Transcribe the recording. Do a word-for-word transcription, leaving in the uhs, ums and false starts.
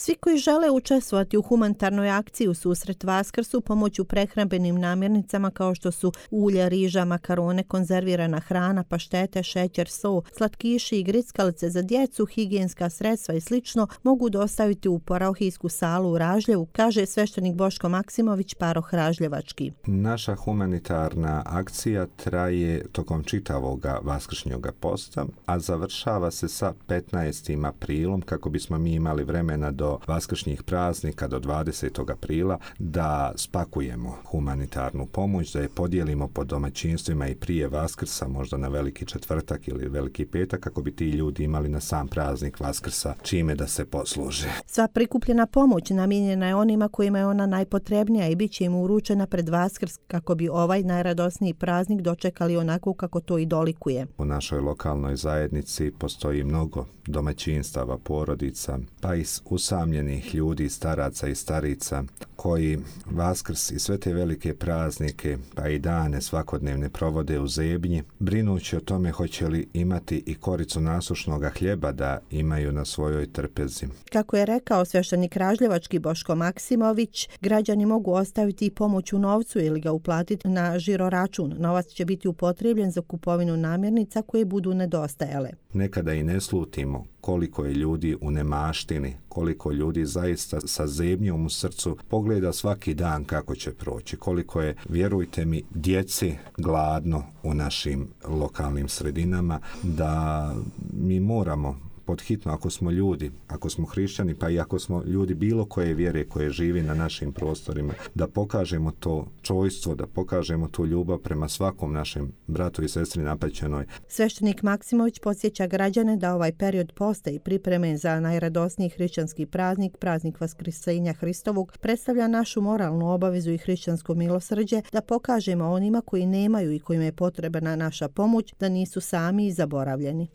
Svi koji žele učestvovati u humanitarnoj akciji u susret Vaskrsu pomoću prehrambenim namirnicama kao što su ulje, riža, makarone, konzervirana hrana, paštete, šećer, so, slatkiši i grickalice za djecu, higijenska sredstva i slično mogu dostaviti u parohijsku salu u Ražljevu, kaže sveštenik Boško Maksimović, paroh Ražljevački. Naša humanitarna akcija traje tokom čitavoga vaskršnjoga posta, a završava se sa petnaestim aprilom kako bismo mi imali vremena do vaskršnjih praznika do dvadesetog aprila da spakujemo humanitarnu pomoć, da je podijelimo po domaćinstvima i prije Vaskrsa, možda na Veliki četvrtak ili Veliki petak, kako bi ti ljudi imali na sam praznik Vaskrsa čime da se posluže. Sva prikupljena pomoć namijenjena je onima kojima je ona najpotrebnija i bit će im uručena pred Vaskrs kako bi ovaj najradosniji praznik dočekali onako kako to i dolikuje. U našoj lokalnoj zajednici postoji mnogo domaćinstava, porodica, pa i usamljenih ljudi, staraca i starica koji Vaskrs i sve te velike praznike pa i dane svakodnevne provode u zebnji, brinući o tome hoće li imati i koricu nasušnog hljeba da imaju na svojoj trpezi. Kako je rekao sveštenik Ražljevački Boško Maksimović, građani mogu ostaviti i pomoć u novcu ili ga uplatiti na žiro račun. Novac će biti upotrebljen za kupovinu namirnica koje budu nedostajale. Nekada i ne slutimo koliko je ljudi u nemaštini, koliko ljudi zaista sa zebnjom u srcu pogleda svaki dan kako će proći, koliko je, vjerujte mi, djeci gladno u našim lokalnim sredinama, da mi moramo podhitno, ako smo ljudi, ako smo hrišćani, pa i ako smo ljudi bilo koje vjere koje živi na našim prostorima, da pokažemo to čojstvo, da pokažemo tu ljubav prema svakom našem bratu i sestri napaćenoj. Sveštenik Maksimović podsjeća građane da ovaj period posta i pripreme za najradosniji hrišćanski praznik, praznik Vaskrsenja Hristovog, predstavlja našu moralnu obavezu i hrišćansko milosrđe da pokažemo onima koji nemaju i kojima je potrebna naša pomoć da nisu sami i zaboravljeni.